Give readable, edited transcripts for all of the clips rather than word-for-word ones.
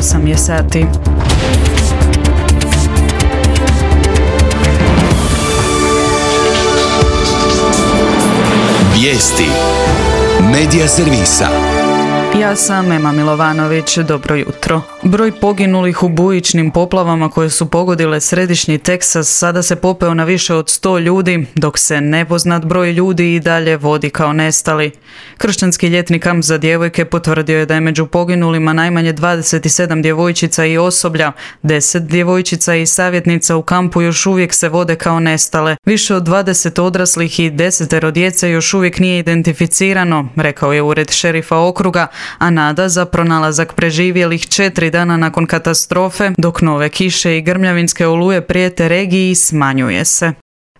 8 je sati. Vijesti Medija servisa. Ja sam Ema Milovanović, dobro jutro. Broj poginulih u bujičnim poplavama koje su pogodile središnji Teksas sada se popeo na više od 100 ljudi, dok se nepoznat broj ljudi i dalje vodi kao nestali. Kršćanski ljetni kamp za djevojke potvrdio je da je među poginulima najmanje 27 djevojčica i osoblja, 10 djevojčica i savjetnica u kampu još uvijek se vode kao nestale. Više od 20 odraslih i 10 djece još uvijek nije identificirano, rekao je ured šerifa okruga, a nada za pronalazak preživjelih 4 dana nakon katastrofe, dok nove kiše i grmljavinske oluje prijete regiji, smanjuje se.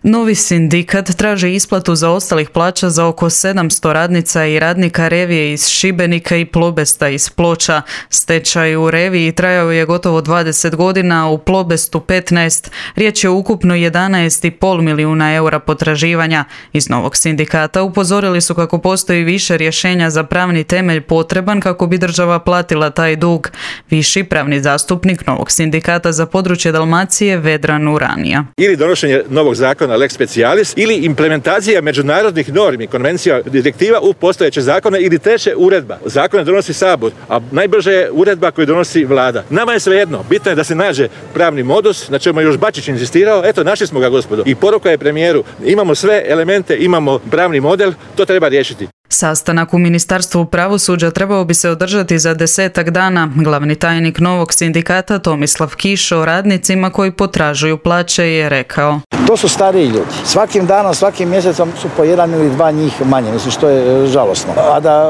Novi sindikat traži isplatu zaostalih plaća za oko 700 radnica i radnika Revije iz Šibenika i Plobesta iz Ploča. Stečaj u Reviji trajao je gotovo 20 godina, a u Plobestu 15. Riječ je ukupno 11,5 milijuna eura potraživanja. Iz novog sindikata upozorili su kako postoji više rješenja za pravni temelj potreban kako bi država platila taj dug. Viši pravni zastupnik novog sindikata za područje Dalmacije Vedran Uranija. Ili donošenje novog zakona lex specialis ili implementacija međunarodnih normi, konvencija, direktiva u postojeće zakone ili treće uredba. Zakone donosi Sabor, a najbrže je uredba koju donosi Vlada. Nama je svejedno, bitno je da se nađe pravni modus, na čemu je još Bačić inzistirao, eto našli smo ga gospodo. I poruka je premijeru, imamo sve elemente, imamo pravni model, to treba riješiti. Sastanak u Ministarstvu pravosuđa trebao bi se održati za 10 dana. Glavni tajnik novog sindikata Tomislav Kiš o radnicima koji potražuju plaće je rekao: To su stariji ljudi. Svakim danom, svakim mjesecom su po 1 ili 2 njih manje, mislim što je žalosno. A da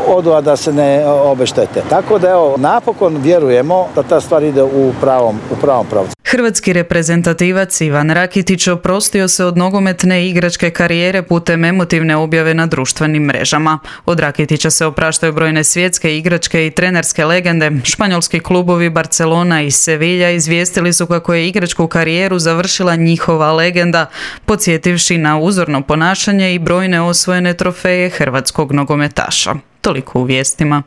odu, a da se ne obeštete. Tako da evo, napokon vjerujemo da ta stvar ide u pravom pravcu. Hrvatski reprezentativac Ivan Rakitić oprostio se od nogometne igračke karijere putem emotivne objave na društvenim mrežama. Od Rakitića se opraštaju brojne svjetske igračke i trenerske legende. Španjolski klubovi Barcelona i Sevilla izvijestili su kako je igračku karijeru završila njihova legenda, podsjetivši na uzorno ponašanje i brojne osvojene trofeje hrvatskog nogometaša. Toliko u vijestima.